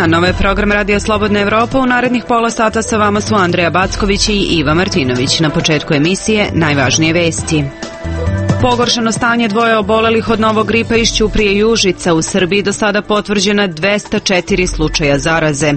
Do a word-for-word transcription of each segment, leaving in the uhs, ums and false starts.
dan, ovo je program Radio Slobodna Evropa. U narednih pola sata sa vama su Andreja Backović i Iva Martinović. Na početku emisije najvažnije vesti. Pogoršano stanje dvoje obolelih od novog gripa iz Ćuprije i Užica. U Srbiji do sada potvrđena dvesta četiri slučaja zaraze.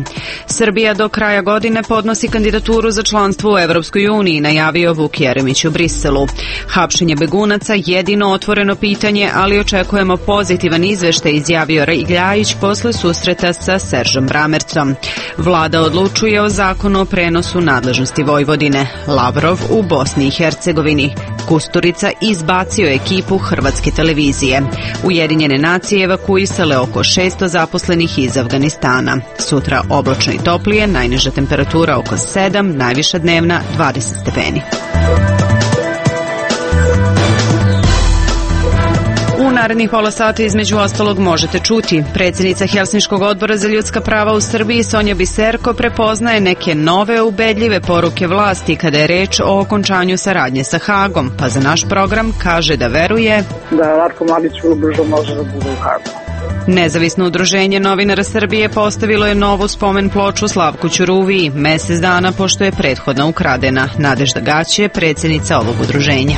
Srbija do kraja godine podnosi kandidaturu za članstvo u Evropskoj uniji, najavio Vuk Jeremić u Briselu. Hapšenje begunaca jedino otvoreno pitanje, ali očekujemo pozitivan izveštaj, izjavio Ljajić posle susreta sa Seržom Bramercom. Vlada odlučuje o zakonu o prenosu nadležnosti Vojvodine. Lavrov u Bosni i Hercegovini. Kusturica izbacio ekipu hrvatske televizije. Ujedinjene nacije evakuisale oko šesto zaposlenih iz Afganistana. Sutra oblačno i toplije, najniža temperatura oko sedam, najviša dnevna dvadeset stepeni. U narednih pola sata između ostalog možete čuti. Predsjednica Helsinškog odbora za ljudska prava u Srbiji Sonja Biserko prepoznaje neke nove ubedljive poruke vlasti kada je reč o okončanju saradnje sa Hagom, pa za naš program kaže da veruje da Ratko Mladić vrlo brzo može da bude u Hagu. Nezavisno udruženje novinara Srbije postavilo je novu spomen ploču Slavku Ćuruviji, mesec dana pošto je prethodna ukradena. Nadežda Gać je predsjednica ovog udruženja.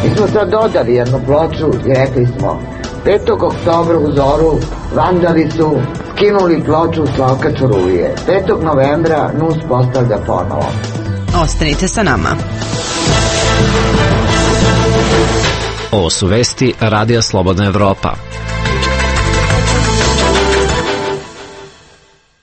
Mi smo sad dodali jednu ploču i rekli smo petog oktobra u Zoru vandali su skinuli ploču Slavka Ćuruvije. petog novembra N U S postavlja ponovo. Ostanite sa nama. Ovo su vesti Radija Slobodna Evropa.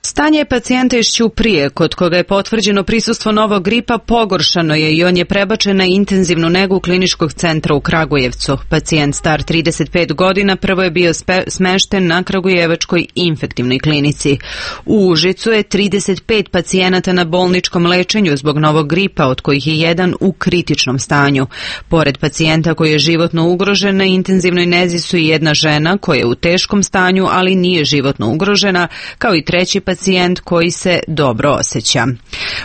Stanje pacijenta iz Ćuprije, kod koga je potvrđeno prisustvo novog gripa, pogoršano je i on je prebačen na intenzivnu negu kliničkog centra u Kragujevcu. Pacijent star trideset pet godina prvo je bio spe, smešten na Kragujevačkoj infektivnoj klinici. U Užicu je trideset pet pacijenata na bolničkom lečenju zbog novog gripa, od kojih je jedan u kritičnom stanju. Pored pacijenta koji je životno ugrožen, na intenzivnoj nezi su i jedna žena koja je u teškom stanju, ali nije životno ugrožena, kao i treći pacijent pacijent koji se dobro osjeća.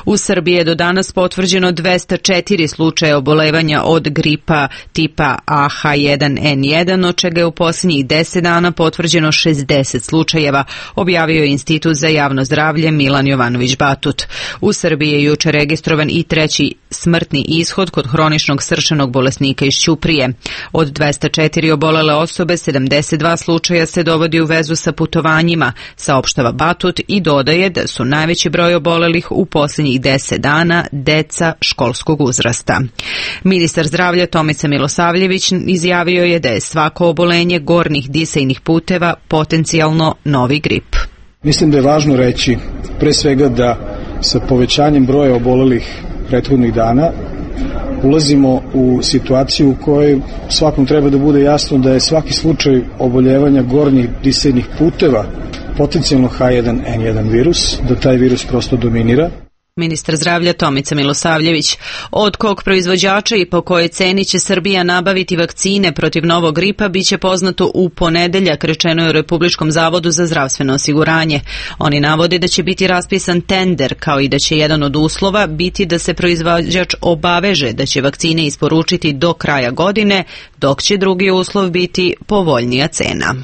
U Srbiji je do danas potvrđeno dvesta četiri slučaja obolevanja od gripa tipa A H jedan N jedan, od čega je u posljednjih deset dana potvrđeno šezdeset slučajeva, objavio je Institut za javno zdravlje Milan Jovanović Batut. U Srbiji je juče registrovan i treći smrtni ishod kod hroničnog srčanog bolesnika iz Ćuprije. Od dvesta četiri obolele osobe, sedamdeset dva slučaja se dovodi u vezu sa putovanjima, saopštava Batut i dodaje da su najveći broj obolelih u posljednjih deset dana deca školskog uzrasta. Ministar zdravlja Tomica Milosavljević izjavio je da je svako obolenje gornjih disajnih puteva potencijalno novi grip. Mislim da je važno reći pre svega da sa povećanjem broja obolelih prethodnih dana ulazimo u situaciju u kojoj svakom treba da bude jasno da je svaki slučaj oboljevanja gornjih disajnih puteva potencijalno H jedan N jedan virus, da taj virus prosto dominira. Ministar zdravlja Tomica Milosavljević. Od kog proizvođača i po kojoj ceni će Srbija nabaviti vakcine protiv novog gripa biće poznato u ponedeljak, rečeno je u Republičkom zavodu za zdravstveno osiguranje. Oni navode da će biti raspisan tender, kao i da će jedan od uslova biti da se proizvođač obaveže da će vakcine isporučiti do kraja godine, dok će drugi uslov biti povoljnija cena.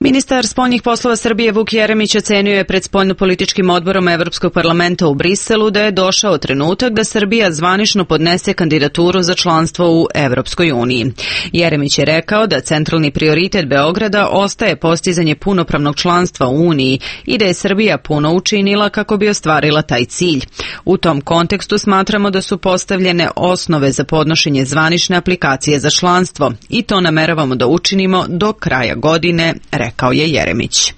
Ministar spoljnih poslova Srbije Vuk Jeremić ocenio je pred spoljnopolitičkim odborom Evropskog parlamenta u Briselu da je došao trenutak da Srbija zvanično podnese kandidaturu za članstvo u Evropskoj uniji. Jeremić je rekao da centralni prioritet Beograda ostaje postizanje punopravnog članstva u Uniji i da je Srbija puno učinila kako bi ostvarila taj cilj. U tom kontekstu smatramo da su postavljene osnove za podnošenje zvanične aplikacije za članstvo i to nameravamo da učinimo do kraja godine, rekao je Jeremić.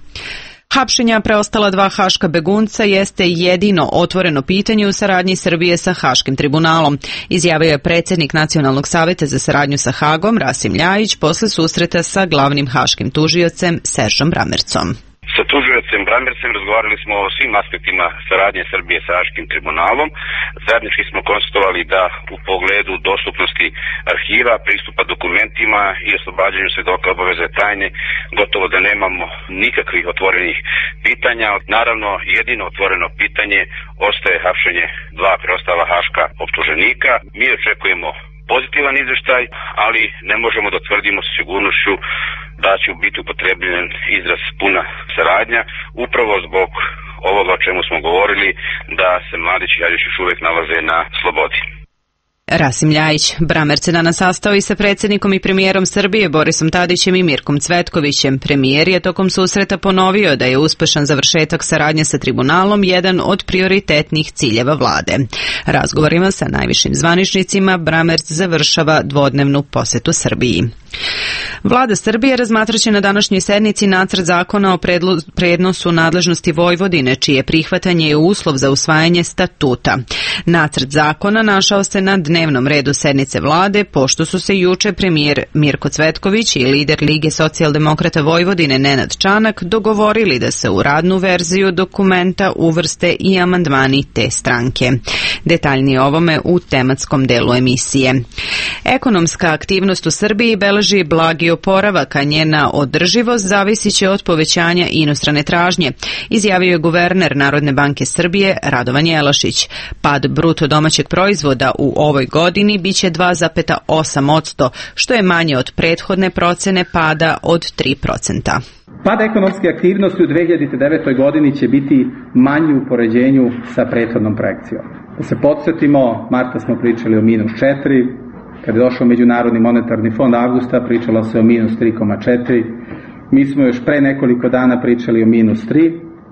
Hapšenja preostala dva haška begunca jeste jedino otvoreno pitanje u saradnji Srbije sa Haškim tribunalom, izjavio je predsjednik Nacionalnog saveta za saradnju sa Hagom Rasim Ljajić posle susreta sa glavnim haškim tužiocem Seržom Bramercom. Sa tužiocem Bramercem razgovarali smo o svim aspektima saradnje Srbije sa Haškim tribunalom. Zajednički smo konstatovali da u pogledu dostupnosti arhiva, pristupa dokumentima i oslobađanju svedoka obaveze tajne gotovo da nemamo nikakvih otvorenih pitanja. Naravno, jedino otvoreno pitanje ostaje hapšenje dva preostala haška optuženika. Mi očekujemo pozitivan izveštaj, ali ne možemo da tvrdimo sa sigurnošću da će biti upotrebljen izraz puna saradnja, upravo zbog ovoga o čemu smo govorili, da se Mladić i Ljajić još uvijek nalaze na slobodi. Rasim Ljajić. Bramerc se danas sastao i sa predsjednikom i premijerom Srbije Borisom Tadićem i Mirkom Cvetkovićem. Premijer je tokom susreta ponovio da je uspešan završetak saradnje sa tribunalom jedan od prioritetnih ciljeva vlade. Razgovorima sa najvišim zvaničnicima Bramerc završava dvodnevnu posetu Srbiji. Vlada Srbije razmatraće na današnjoj sednici nacrt zakona o prenosu nadležnosti Vojvodine, čije prihvatanje je uslov za usvajanje statuta. Nacrt zakona našao se na dnevnom redu sednice vlade, pošto su se juče premijer Mirko Cvetković i lider Lige socijaldemokrata Vojvodine Nenad Čanak dogovorili da se u radnu verziju dokumenta uvrste i amandmani te stranke. Detaljnije o ovome u tematskom delu emisije. Ekonomska aktivnost u Srbiji beleži blagi oporavak, a njena održivost zavisit će od povećanja inostrane tražnje, izjavio je guverner Narodne banke Srbije Radovan Jelašić. Pad bruto domaćeg proizvoda u ovoj godini biće dva zarez osam posto, što je manje od prethodne procene pada od tri procenta. Pad ekonomske aktivnosti u dve hiljade devetoj godini će biti manji u poređenju sa prethodnom projekcijom. Da se podsjetimo, marta smo pričali o minus četiri, kad je došao Međunarodni monetarni fond avgusta, pričalo se o minus tri zarez četiri, mi smo još pre nekoliko dana pričali o minus tri,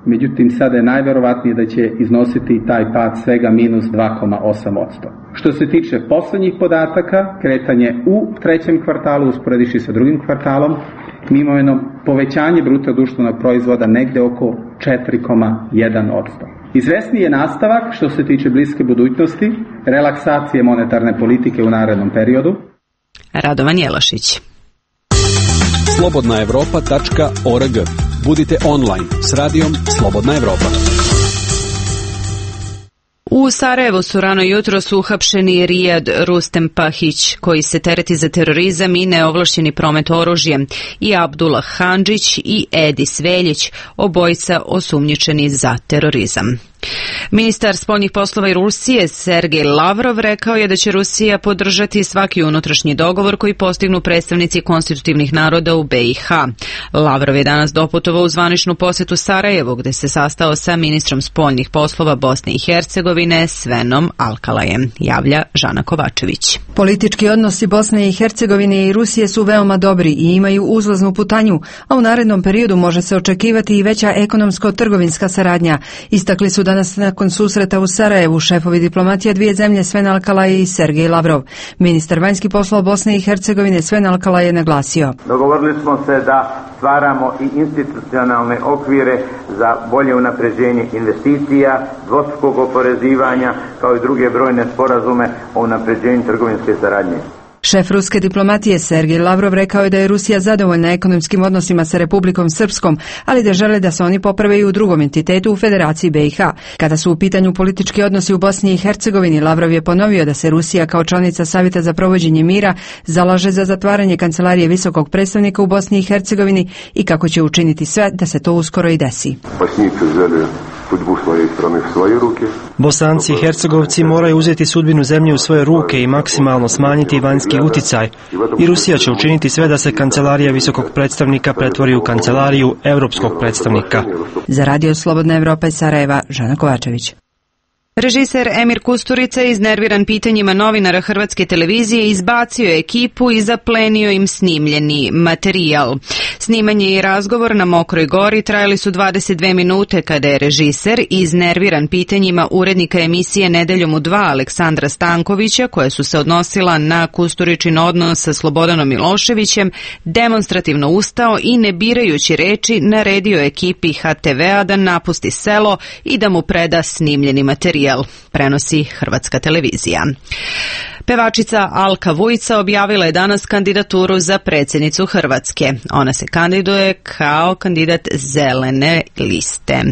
međutim sada je najverovatnije da će iznositi taj pad svega minus dva zarez osam posto. Što se tiče poslednjih podataka, kretanje u trećem kvartalu usporediši sa drugim kvartalom, mi imamo jedno povećanje bruto društvenog proizvoda negde oko četiri zarez jedan posto. Izvesni je nastavak što se tiče bliske budućnosti, relaksacije monetarne politike u narednom periodu. Radovan Jelašić. slobodna evropa tačka org. Budite online s radijom Slobodna Evropa. U Sarajevu su rano jutro su uhapšeni Rijad Rustem Pahić, koji se tereti za terorizam i neovlašćeni promet oružjem, i Abdullah Handžić i Edi Sveljić, obojica osumnjičeni za terorizam. Ministar spoljnih poslova i Rusije Sergej Lavrov rekao je da će Rusija podržati svaki unutrašnji dogovor koji postignu predstavnici konstitutivnih naroda u be i ha. Lavrov je danas doputovao u zvaničnu posetu Sarajevu, gde se sastao sa ministrom spoljnih poslova Bosne i Hercegovine Svenom Alkalajem, javlja Žana Kovačević. Politički odnosi Bosne i Hercegovine i Rusije su veoma dobri i imaju uzlaznu putanju, a u narednom periodu može se očekivati i veća ekonomsko-trgovinska saradnja, istakli su danas nakon susreta u Sarajevu šefovi diplomatija dvije zemlje Sven Alkalaj i Sergej Lavrov. Ministar vanjskih poslova Bosne i Hercegovine Sven Alkalaj je naglasio: dogovorili smo se da stvaramo i institucionalne okvire za bolje unapređenje investicija, dvostrukog oporezivanja, kao i druge brojne sporazume o unapređenju trgovinske saradnje. Šef ruske diplomatije Sergej Lavrov rekao je da je Rusija zadovoljna ekonomskim odnosima sa Republikom Srpskom, ali da žele da se oni poprave i u drugom entitetu u Federaciji be i ha. Kada su u pitanju politički odnosi u Bosni i Hercegovini, Lavrov je ponovio da se Rusija kao članica Savjeta za provođenje mira zalaže za zatvaranje kancelarije visokog predstavnika u Bosni i Hercegovini i kako će učiniti sve da se to uskoro i desi. Bosanci i Hercegovci moraju uzeti sudbinu zemlje u svoje ruke i maksimalno smanjiti vanjski uticaj, i Rusija će učiniti sve da se kancelarija visokog predstavnika pretvori u kancelariju evropskog predstavnika. Za Radio Slobodna Evropa iz Sarajeva, Žana Kovačević. Režiser Emir Kusturica, iznerviran pitanjima novinara Hrvatske televizije, izbacio je ekipu i zaplenio im snimljeni materijal. Snimanje i razgovor na Mokroj Gori trajali su dvadeset dve minute kada je režiser, iznerviran pitanjima urednika emisije Nedeljom u dva Aleksandra Stankovića, koja su se odnosila na Kusturičin odnos sa Slobodanom Miloševićem, demonstrativno ustao i ne birajući reči naredio ekipi ha te vea da napusti selo i da mu preda snimljeni materijal, prenosi Hrvatska televizija. Pevačica Alka Vujica objavila je danas kandidaturu za predsjednicu Hrvatske. Ona se kandiduje kao kandidat zelene liste.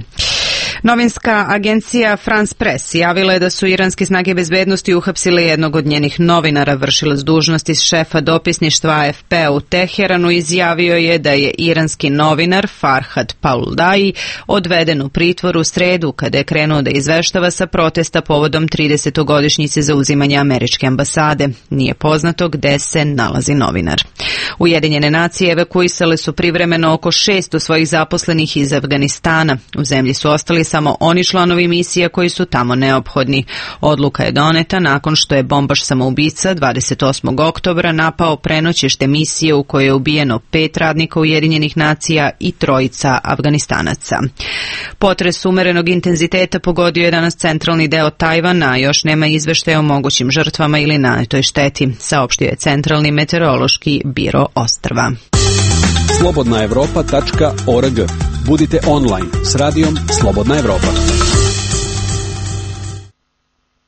Novinska agencija France Press javila je da su iranske snage bezbednosti uhapsile jednog od njenih novinara. Vršilac dužnosti šefa dopisništva A F P u Teheranu izjavio je da je iranski novinar Farhad Pauldai odveden u pritvor u sredu kada je krenuo da izveštava sa protesta povodom tridesetogodišnjice zauzimanja američke ambasade. Nije poznato gde se nalazi novinar. Ujedinjene nacije evakuisale su privremeno oko šesto svojih zaposlenih iz Afganistana. U zemlji su ostali samo oni članovi misija koji su tamo neophodni. Odluka je doneta nakon što je bombaš samoubica dvadeset osmog oktobra napao prenoćište misije u kojoj je ubijeno pet radnika Ujedinjenih nacija i trojica Afganistanaca. Potres umerenog intenziteta pogodio je danas centralni deo Tajvana, a još nema izveštaja o mogućim žrtvama ili nanetoj šteti, saopštio je Centralni meteorološki biro ostrva. slobodna evropa tačka org. Budite online s radijom Slobodna Evropa.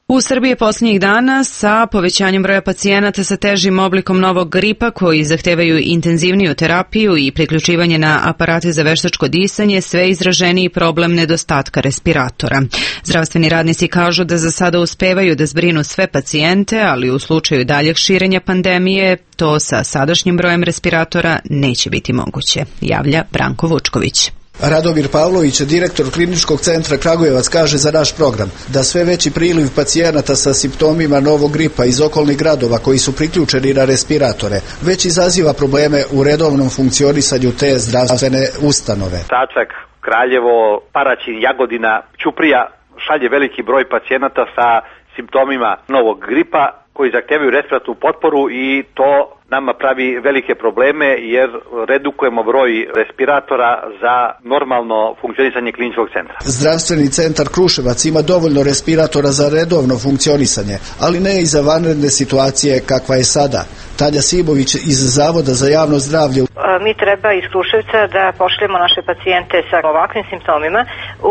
U Srbiji posljednjih dana sa povećanjem broja pacijenata sa težim oblikom novog gripa koji zahtevaju intenzivniju terapiju i priključivanje na aparate za veštačko disanje sve izraženiji problem nedostatka respiratora. Zdravstveni radnici kažu da za sada uspevaju da zbrinu sve pacijente, ali u slučaju daljeg širenja pandemije to sa sadašnjim brojem respiratora neće biti moguće, javlja Branko Vučković. Radomir Pavlović, direktor Kliničkog centra Kragujevac, kaže za naš program da sve veći priliv pacijenata sa simptomima novog gripa iz okolnih gradova koji su priključeni na respiratore već izaziva probleme u redovnom funkcionisanju te zdravstvene ustanove. Čačak, Kraljevo, Paraćin, Jagodina, Ćuprija šalje veliki broj pacijenata sa simptomima novog gripa koji zahtevaju respiratornu potporu i to nama pravi velike probleme jer redukujemo broj respiratora za normalno funkcionisanje kliničkog centra. Zdravstveni centar Kruševac ima dovoljno respiratora za redovno funkcionisanje, ali ne i za vanredne situacije kakva je sada. Tanja Simović iz Zavoda za javno zdravlje. Mi treba iz Kruševca da pošljemo naše pacijente sa ovakvim simptomima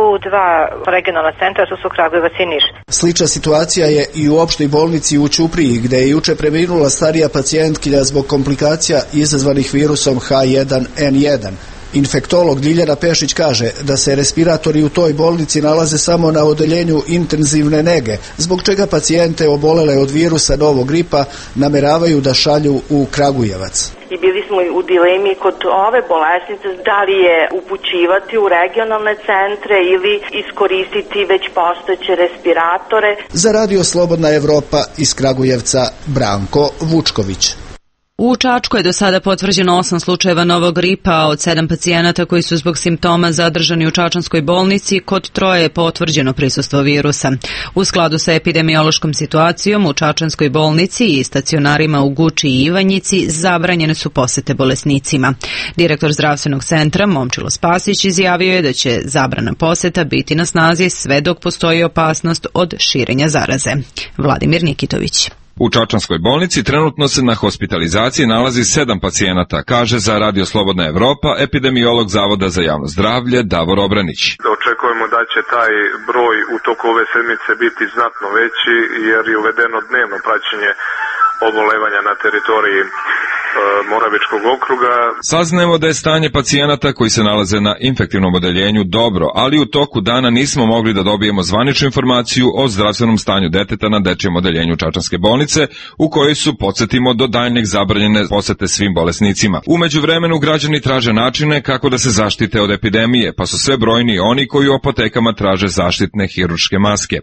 u dva regionalna centra, to su Kragujevac i Niš. Slična situacija je i u opštoj bolnici u Ćupriji, gde je juče preminula starija pacijentkinja zbog komplikacija izazvanih virusom H jedan N jedan. Infektolog Ljiljana Pešić kaže da se respiratori u toj bolnici nalaze samo na odeljenju intenzivne nege, zbog čega pacijente obolele od virusa novog gripa nameravaju da šalju u Kragujevac. I bili smo u dilemi kod ove bolesnice da li je upućivati u regionalne centre ili iskoristiti već postojeće respiratore. Za Radio Slobodna Evropa iz Kragujevca Branko Vučković. U Čačku je do sada potvrđeno osam slučajeva novog gripa, a od sedam pacijenata koji su zbog simptoma zadržani u čačanskoj bolnici, kod troje je potvrđeno prisustvo virusa. U skladu sa epidemiološkom situacijom u čačanskoj bolnici i stacionarima u Guči i Ivanjici zabranjene su posete bolesnicima. Direktor zdravstvenog centra Momčilo Spasić izjavio je da će zabrana poseta biti na snazi sve dok postoji opasnost od širenja zaraze. Vladimir Nikitović. U čačanskoj bolnici trenutno se na hospitalizaciji nalazi sedam pacijenata, kaže za Radio Slobodna Evropa epidemiolog Zavoda za javno zdravlje Davor Obranić. Očekujemo da će taj broj u toku ove sedmice biti znatno veći jer je uvedeno dnevno praćenje obolevanja na teritoriji Moravičkog okruga. Saznajemo da je stanje pacijenata koji se nalaze na infektivnom odeljenju dobro, ali u toku dana nismo mogli da dobijemo zvaničnu informaciju o zdravstvenom stanju deteta na dečijem odeljenju Čačanske bolnice, u kojoj su, podsjetimo, do daljnjeg zabranjene posete svim bolesnicima. U međuvremenu građani traže načine kako da se zaštite od epidemije, pa su sve brojni oni koji u apotekama traže zaštitne hirurške maske.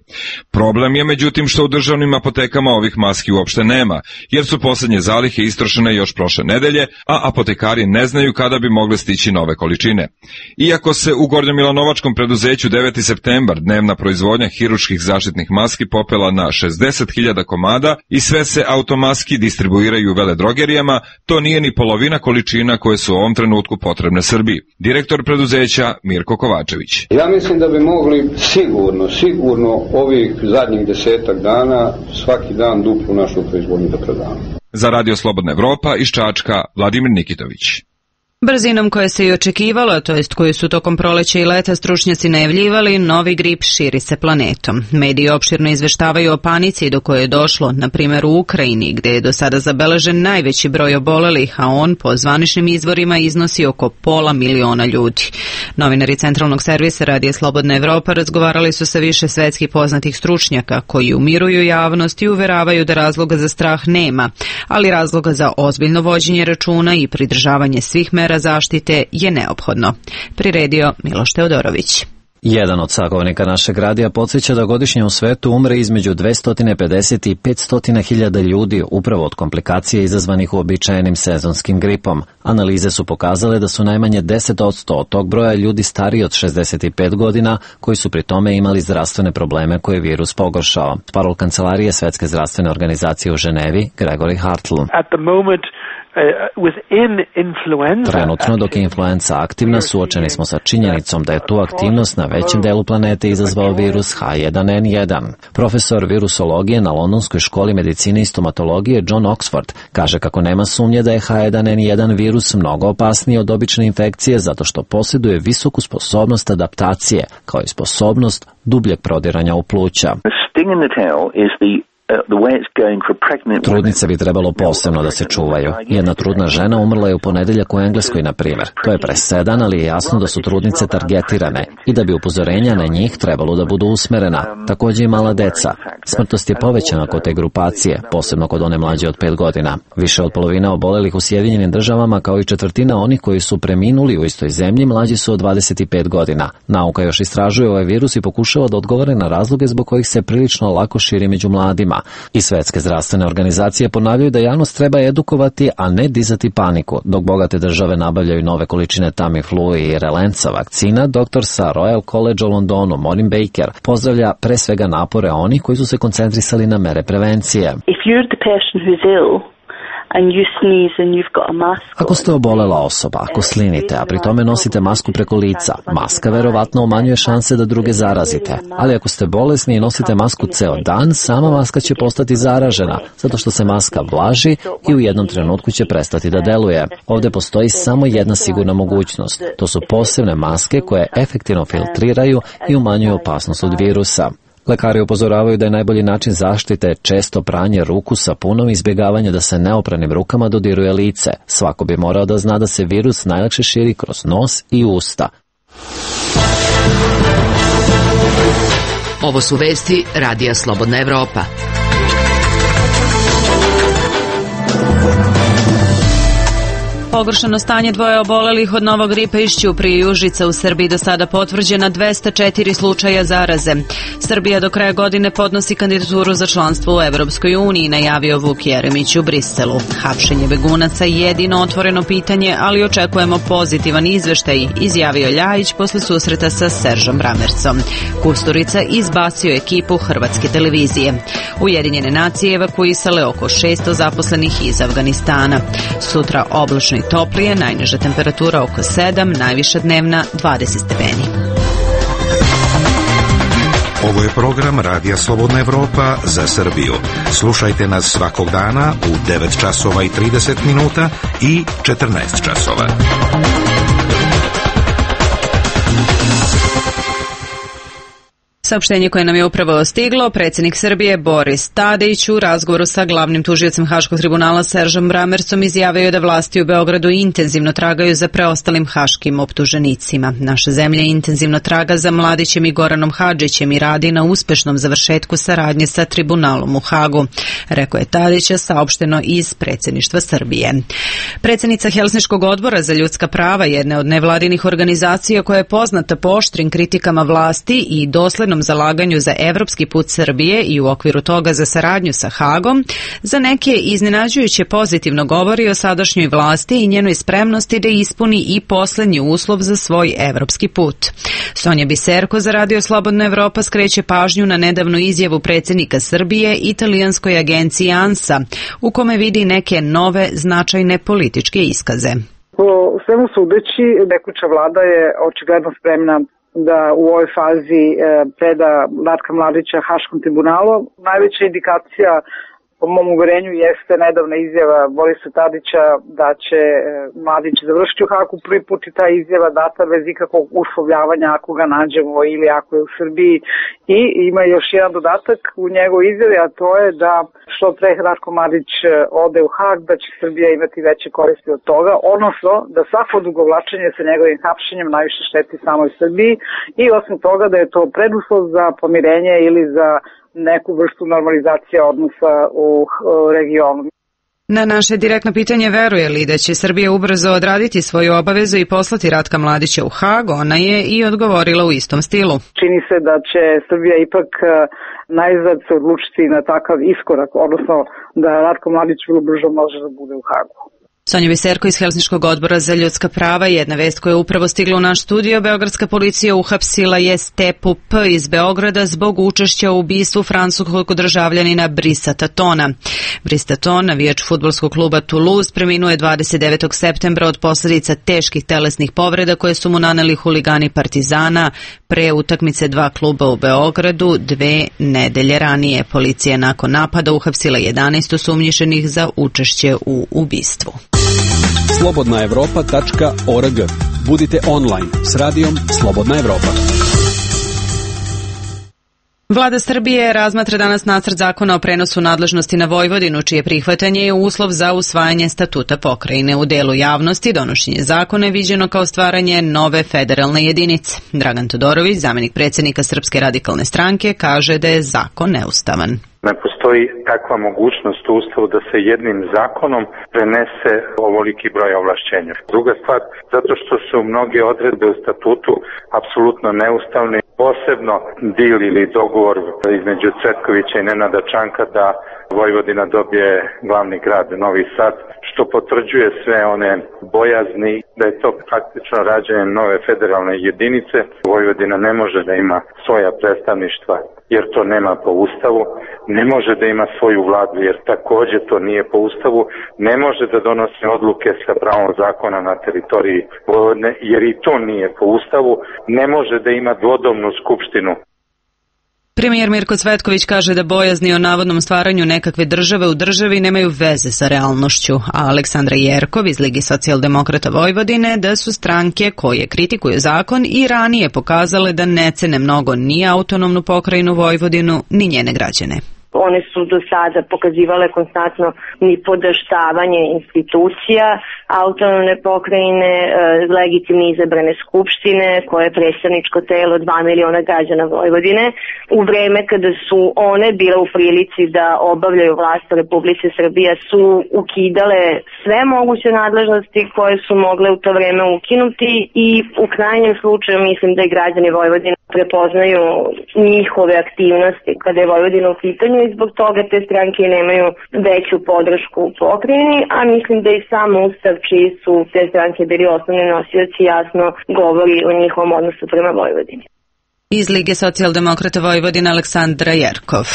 Problem je međutim što u državnim apotekama ovih maski uopšte nema, jer su posljednje zalihe istrošene još prošle nedelje, a apotekari ne znaju kada bi mogle stići nove količine. Iako se u gornjomilanovačkom preduzeću deveti septembar dnevna proizvodnja hirurških zaštitnih maski popela na šezdeset hiljada komada i sve se automaski distribuiraju u veledrogerijama, to nije ni polovina količina koje su u ovom trenutku potrebne Srbiji. Direktor preduzeća Mirko Kovačević. Ja mislim da bi mogli sigurno, sigurno ovih zadnjih desetak dana svaki dan duplu našu proizvodnju da prodamo. Za Radio Slobodna Evropa iz Čačka, Vladimir Nikitović. Brzinom koje se i očekivalo, to jest koju su tokom proleća i leta stručnjaci najavljivali, novi grip širi se planetom. Mediji opširno izveštavaju o panici do koje je došlo, na primjer u Ukrajini, gdje je do sada zabeležen najveći broj obolelih, a on po zvaničnim izvorima iznosi oko pola miliona ljudi. Novinari centralnog servisa Radija Slobodna Evropa razgovarali su sa više svetskih poznatih stručnjaka, koji umiruju javnost i uveravaju da razloga za strah nema, ali razloga za ozbiljno vođenje računa i pridržavanje svih mera zaštite je neophodno. Priredio Miloš Teodorović. Jedan od sagovornika našeg radija podsjeća da godišnje u svetu umre između dvesta pedeset i petsto hiljada ljudi upravo od komplikacija izazvanih uobičajenim sezonskim gripom. Analize su pokazale da su najmanje deset posto od tog broja ljudi stariji od šezdeset pet godina koji su pri tome imali zdravstvene probleme koje je virus pogoršao. Parol kancelarije Svetske zdravstvene organizacije u Ženevi, Gregory Hartl. Trenutno, dok je influenza aktivna, suočeni smo sa činjenicom da je tu aktivnost na većem delu planete izazvao virus H jedan N jedan. Profesor virusologije na Londonskoj školi medicine i stomatologije John Oxford kaže kako nema sumnje da je H jedan N jedan virus mnogo opasniji od obične infekcije zato što posjeduje visoku sposobnost adaptacije, kao i sposobnost dubljeg prodiranja u pluća. Trudnice bi trebalo posebno da se čuvaju. Jedna trudna žena umrla je u ponedeljak u Engleskoj, na primjer. To je presedan, ali je jasno da su trudnice targetirane i da bi upozorenja na njih trebalo da budu usmerena. Također i mala deca. Smrtnost je povećana kod te grupacije, posebno kod one mlađe od pet godina. Više od polovine obolelih u Sjedinjenim državama, kao i četvrtina onih koji su preminuli u istoj zemlji, mlađi su od dvadeset pet godina. Nauka još istražuje ovaj virus i pokušava da odgovore na razloge zbog kojih se prilično lako širi među mladima. I Svetske zdravstvene organizacije ponavljaju da javnost treba edukovati, a ne dizati paniku. Dok bogate države nabavljaju nove količine Tamiflu i Relenca vakcina, doktor sa Royal College u Londonu, Maureen Baker, pozdravlja pre svega napore onih koji su se koncentrisali na mere prevencije. If you're the person who's ill, Ako ste obolela osoba, ako slinite, a pri tome nosite masku preko lica, maska verovatno umanjuje šanse da druge zarazite. Ali ako ste bolesni i nosite masku ceo dan, sama maska će postati zaražena, zato što se maska vlaži i u jednom trenutku će prestati da deluje. Ovde postoji samo jedna sigurna mogućnost. To su posebne maske koje efektivno filtriraju i umanjuju opasnost od virusa. Lekari upozoravaju da je najbolji način zaštite često pranje ruku sapunom i izbjegavanje da se neopranim rukama dodiruje lice. Svako bi morao da zna da se virus najlakše širi kroz nos i usta. Ovo su vesti Radija Slobodna Evropa. Pogoršano stanje dvoje obolelih od novog gripa iz Ćuprije i Užica u Srbiji do sada potvrđena dvesta četiri slučaja zaraze. Srbija do kraja godine podnosi kandidaturu za članstvo u Evropskoj uniji, najavio Vuk Jeremić u Briselu. Hapšenje begunaca je jedino otvoreno pitanje, ali očekujemo pozitivan izveštaj, izjavio Ljajić posle susreta sa Seržom Ramercom. Kusturica izbacio ekipu Hrvatske televizije. Ujedinjene nacije evakuisale oko šesto zaposlenih iz Afganistana. Sutra oblačno i toplije, najniža temperatura oko sedam, najviša dnevna dvadeset stepeni. Ovo je program Radija Slobodna Evropa za Srbiju. Slušajte nas svakog dana u devet časova i trideset minuta i četrnaest časova. Saopštenje koje nam je upravo stiglo, predsjednik Srbije Boris Tadić u razgovoru sa glavnim tužiocem Haškog tribunala Seržom Ramercom izjavio je da vlasti u Beogradu intenzivno tragaju za preostalim haškim optuženicima. Naša zemlja intenzivno traga za Mladićem i Goranom Hadžićem i radi na uspešnom završetku saradnje sa tribunalom u Hagu, rekao je Tadića, saopšteno iz predsjedništva Srbije. Predsjednica Helsinškog odbora za ljudska prava, jedne od nevladinih organizacija koja je poznata po oštrim kritikama vlasti i doslednom zalaganju za evropski put Srbije i u okviru toga za saradnju sa Hagom, za neke iznenađujuće pozitivno govori o sadašnjoj vlasti i njenoj spremnosti da ispuni i poslednji uslov za svoj evropski put. Sonja Biserko za Radio Slobodna Evropa skreće pažnju na nedavnu izjavu predsjednika Srbije italijanskoj agenciji ANSA, u kome vidi neke nove značajne političke iskaze. Po svemu sudeći, tekuća vlada je očigledno spremna da u ovoj fazi preda Ratka Mladića Haškom tribunalu. Najveća indikacija po mom uverenju jeste nedavna izjava Borisa Tadića da će Mladić završiti u Hagu. Prvi put i ta izjava data bez ikakvog uslovljavanja ako ga nađemo ili ako je u Srbiji. I ima još jedan dodatak u njegovoj izjavi, a to je da što pre Ratko Mladić ode u Hag, da će Srbija imati veće koristi od toga, odnosno da svako odugovlačenje sa njegovim hapšenjem najviše šteti samoj Srbiji i osim toga da je to preduslov za pomirenje ili za neku vrstu normalizacije odnosa u regionu. Na naše direktno pitanje veruje li da će Srbija ubrzo odraditi svoju obavezu i poslati Ratka Mladića u Hag, ona je i odgovorila u istom stilu. Čini se da će Srbija ipak najzad se odlučiti na takav iskorak, odnosno da Ratko Mladić vrlo brzo može da bude u Hagu. Sonja Biserko iz Helsinškog odbora za ljudska prava. Jedna vest koja je upravo stigla u naš studio. Beogradska policija uhapsila je Stepu P. iz Beograda zbog učešća u ubistvu francuskog državljanina Brisa Tatona. Bris Taton, navijač fudbalskog kluba Toulouse, preminuo je dvadeset devetog septembra od posljedica teških telesnih povreda koje su mu naneli huligani Partizana pre utakmice dva kluba u Beogradu dve nedelje ranije. Policija je nakon napada uhapsila jedanaest osumnjičenih za učešće u ubistvu. slobodna evropa tačka org. Budite online s radijom Slobodna Evropa. Vlada Srbije razmatra danas nacrt zakona o prenosu nadležnosti na Vojvodinu, čije prihvatanje je uslov za usvajanje statuta pokrajine. U delu javnosti donošenje zakona je viđeno kao stvaranje nove federalne jedinice. Dragan Todorović, zamenik predsjednika Srpske radikalne stranke, kaže da je zakon neustavan. Ne postoji takva mogućnost u Ustavu da se jednim zakonom prenese ovoliki broj ovlašćenja. Druga stvar, zato što su mnoge odredbe u statutu apsolutno neustavne, posebno dil ili dogovor između Cvetkovića i Nenada Čanka da Vojvodina dobije glavni grad Novi Sad, što potvrđuje sve one bojazni da je to praktično rađenje nove federalne jedinice. Vojvodina ne može da ima svoja predstavništva jer to nema po Ustavu, ne može da ima svoju vladu jer također to nije po Ustavu, ne može da donosi odluke sa pravom zakona na teritoriji Vojvodine jer i to nije po Ustavu, ne može da ima dvodomnu skupštinu. Premijer Mirko Cvetković kaže da bojazni o navodnom stvaranju nekakve države u državi nemaju veze sa realnošću, a Aleksandra Jerkov iz Ligi socijaldemokrata Vojvodine da su stranke koje kritikuju zakon i ranije pokazale da ne cene mnogo ni autonomnu pokrajinu Vojvodinu ni njene građane. One su do sada pokazivale konstantno nipodaštavanje institucija, autonomne pokrajine, legitimno izabrane skupštine, koje je predstavničko telo dva miliona građana Vojvodine. U vreme kada su one bile u prilici da obavljaju vlast u Republici Srbije su ukidale sve moguće nadležnosti koje su mogle u to vreme ukinuti i u krajnjem slučaju mislim da i građani Vojvodine prepoznaju njihove aktivnosti kada je Vojvodina u pitanju i zbog toga te stranke nemaju veću podršku u pokrajini, a mislim da i sam Ustav čiji su te stranke bili osnovni nosioci jasno govori o njihovom odnosu prema Vojvodini. Iz Lige socijaldemokrata Vojvodine Aleksandra Jerkov.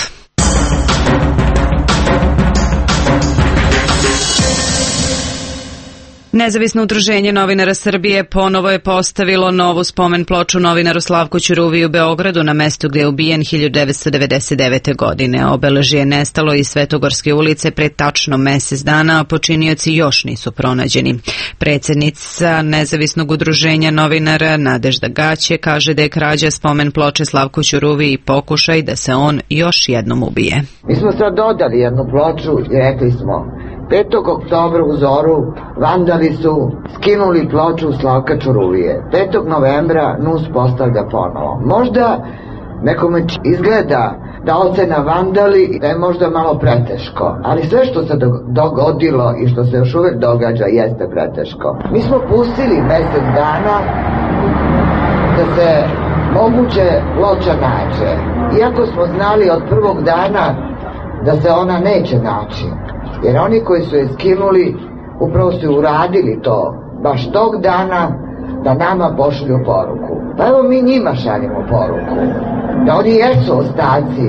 Nezavisno udruženje novinara Srbije ponovo je postavilo novu spomen ploču novinaru Slavku Ćuruviji u Beogradu na mestu gdje je ubijen hiljadu devetsto devedeset devete. godine. Obeležje je nestalo iz Svetogorske ulice pre tačno mesec dana, a počinioci još nisu pronađeni. Predsjednica Nezavisnog udruženja novinara Nadežda Gaće kaže da je krađa spomen ploče Slavku Ćuruviji pokušaj da se on još jednom ubije. Mi smo sad dodali jednu ploču i rekli smo petog oktobra u zoru vandali su skinuli ploču Slavka Ćuruvije. petog novembra N U S postavlja ponovo. Možda nekome izgleda da ocena vandali da je možda malo preteško, ali sve što se dogodilo i što se još uvek događa jeste preteško. Mi smo pustili mesec dana da se moguće ploča nađe, iako smo znali od prvog dana da se ona neće naći. Jer oni koji su je skinuli upravo su uradili to baš tog dana da nama pošalju poruku. Pa evo mi njima šaljemo poruku da oni jesu ostaci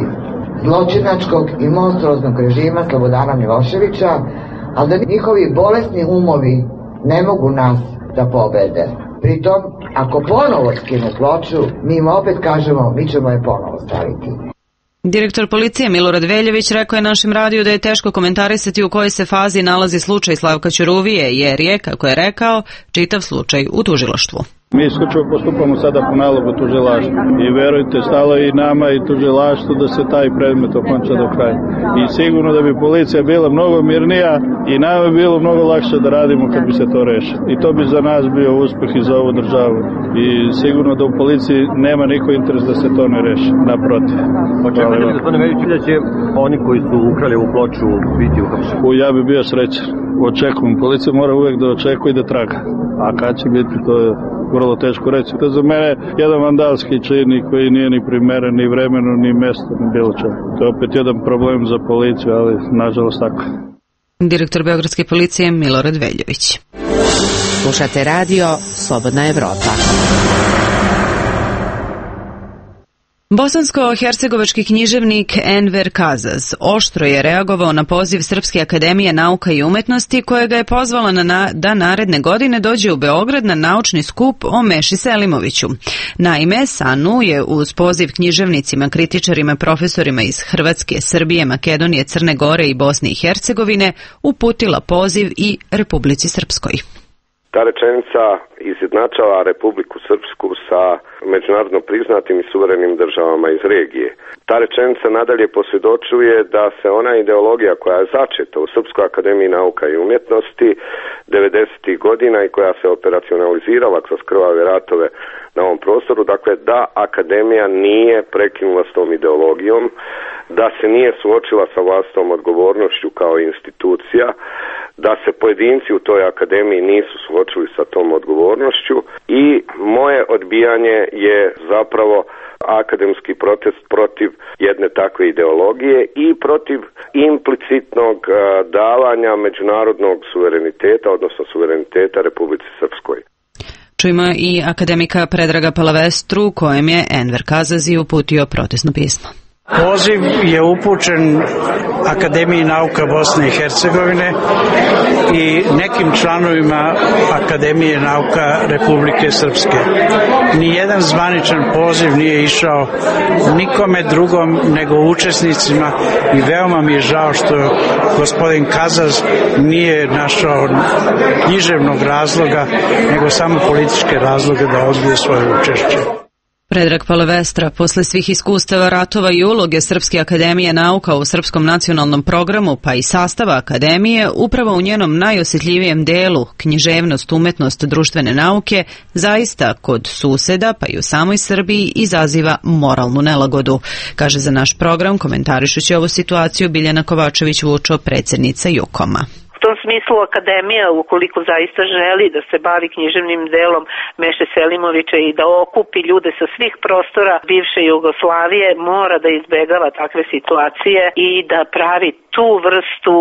zločinačkog i monstruoznog režima Slobodana Miloševića, ali da njihovi bolesni umovi ne mogu nas da pobede. Pritom, ako ponovo skinu ploču, mi im opet kažemo mi ćemo je ponovo staviti. Direktor policije Milorad Veljović rekao je našem radiju da je teško komentarisati u kojoj se fazi nalazi slučaj Slavka Ćuruvije, jer je, kako je rekao, čitav slučaj u tužilaštvu. Mi isključivo postupamo sada po nalogu tužilaštva i verujte, stalo je i nama i tužilaštvu da se taj predmet okonča do kraja. I sigurno da bi policija bila mnogo mirnija i nama bi bilo mnogo lakše da radimo kad bi se to rešilo. I to bi za nas bio uspeh i za ovu državu. I sigurno da u policiji nema niko interes da se to ne reši, naprotiv. Očekujete, gospodine Veljović, da će oni koji su ukrali ovu ploču biti uhapšeni? Ja bi bio srećan. Očekujem. Policija mora uvek da očekuje i da traga. A kad će biti, to je vrlo teško reći. To je za mene jedan vandalski čin koji nije ni primeren, ni vremenu, ni mesto, ni bilo čega. To je opet jedan problem za policiju, ali nažalost tako. Direktor Beogradske policije Milorad Veljović. Slušate radio Slobodna Evropa. Bosansko-hercegovački književnik Enver Kazaz oštro je reagovao na poziv Srpske akademije nauka i umetnosti koja ga je pozvala na, na da naredne godine dođe u Beograd na naučni skup o Meši Selimoviću. Naime, SANU je uz poziv književnicima, kritičarima, profesorima iz Hrvatske, Srbije, Makedonije, Crne Gore i Bosne i Hercegovine uputila poziv i Republici Srpskoj. Ta rečenica izjednačava Republiku Srpsku sa međunarodno priznatim i suverenim državama iz regije. Ta rečenica nadalje posvjedočuje da se ona ideologija koja je začeta u Srpskoj akademiji nauka i umjetnosti devedesetih godina i koja se operacionalizirala kroz krvave ratove na ovom prostoru, dakle da akademija nije prekinula s tom ideologijom, da se nije suočila sa vlastitom odgovornošću kao institucija, da se pojedinci u toj akademiji nisu suočili sa tom odgovornošću i moje odbijanje je zapravo akademski protest protiv jedne takve ideologije i protiv implicitnog davanja međunarodnog suvereniteta, odnosno suvereniteta Republici Srpskoj. Čujemo i akademika Predraga Palavestru, kojem je Enver Kazazi uputio protestno pismo. Poziv je upućen Akademiji nauka Bosne i Hercegovine i nekim članovima Akademije nauka Republike Srpske. Nijedan zvaničan poziv nije išao nikome drugom nego učesnicima i veoma mi je žao što gospodin Kazaz nije našao književnog razloga nego samo političke razloge da odbije svoje učešće. Predrag Palavestra, posle svih iskustava ratova i uloge Srpske akademije nauka u srpskom nacionalnom programu, pa i sastava akademije, upravo u njenom najosjetljivijem delu, književnost, umetnost, društvene nauke, zaista kod suseda, pa i u samoj Srbiji, izaziva moralnu nelagodu, kaže za naš program, komentarišući ovu situaciju, Biljana Kovačević-Vučo, predsjednica Jukoma. U tom smislu akademija, ukoliko zaista želi da se bavi književnim delom Meše Selimovića i da okupi ljude sa svih prostora bivše Jugoslavije, mora da izbegava takve situacije i da pravi tu vrstu,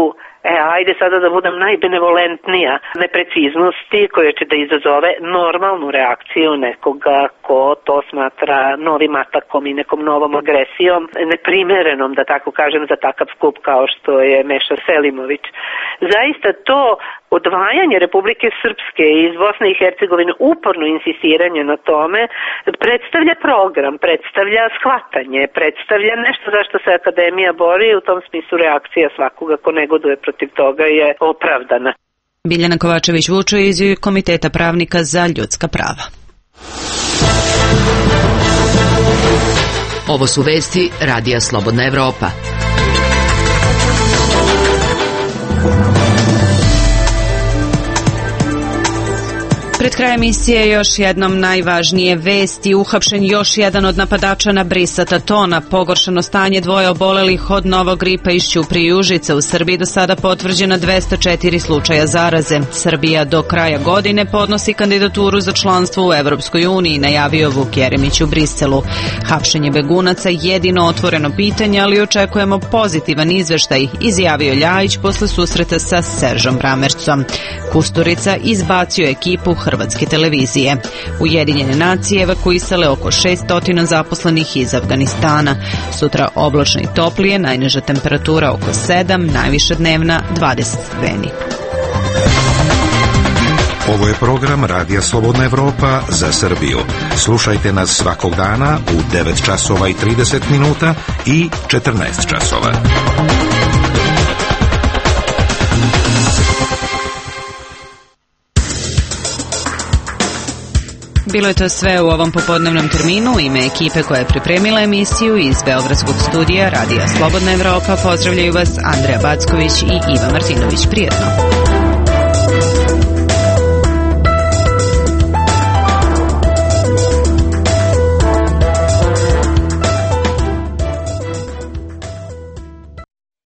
e, ajde sada da budem najbenevolentnija, nepreciznosti koje će da izazove normalnu reakciju nekoga ko to smatra novim atakom i nekom novom agresijom, neprimerenom, da tako kažem, za takav skup kao što je Meša Selimović. Zaista to odvajanje Republike Srpske iz Bosne i Hercegovine, uporno insistiranje na tome, predstavlja program, predstavlja shvatanje, predstavlja nešto za što se akademija bori i u tom smislu reakcija svakoga ko negoduje protiv toga je opravdana. Biljana Kovačević-Vučo iz Komiteta pravnika za ljudska prava. Ovo su vesti Radija Slobodna Evropa. Pred krajem emisije još jednom najvažnije vesti. Uhapšen još jedan od napadača na Brisata Tona. Pogoršano stanje dvoje obolelih od novog gripa iz Ćuprije i Užica. U Srbiji do sada potvrđeno dvesta četiri slučaja zaraze. Srbija do kraja godine podnosi kandidaturu za članstvo u Evropskoj uniji, najavio Vuk Jeremić u Briselu. Hapšenje begunaca jedino otvoreno pitanje, ali očekujemo pozitivan izveštaj, izjavio Ljajić posle susreta sa Seržom Bramercom. Kusturica izbacio ekipu Hrvatske televizije. Ujedinjene nacije evakuisale oko šesto zaposlenih iz Afganistana. Sutra oblačno i toplije, najniža temperatura oko sedam, najviša dnevna dvadeset stepeni. Ovo je program Radija Slobodna Evropa za Srbiju. Slušajte nas svakog dana u devet časova i trideset minuta i četrnaest časova. Bilo je to sve u ovom popodnevnom terminu. U ime ekipe koja je pripremila emisiju iz Beogradskog studija Radija Slobodna Evropa pozdravljaju vas Andreja Backović i Iva Martinović. Prijetno.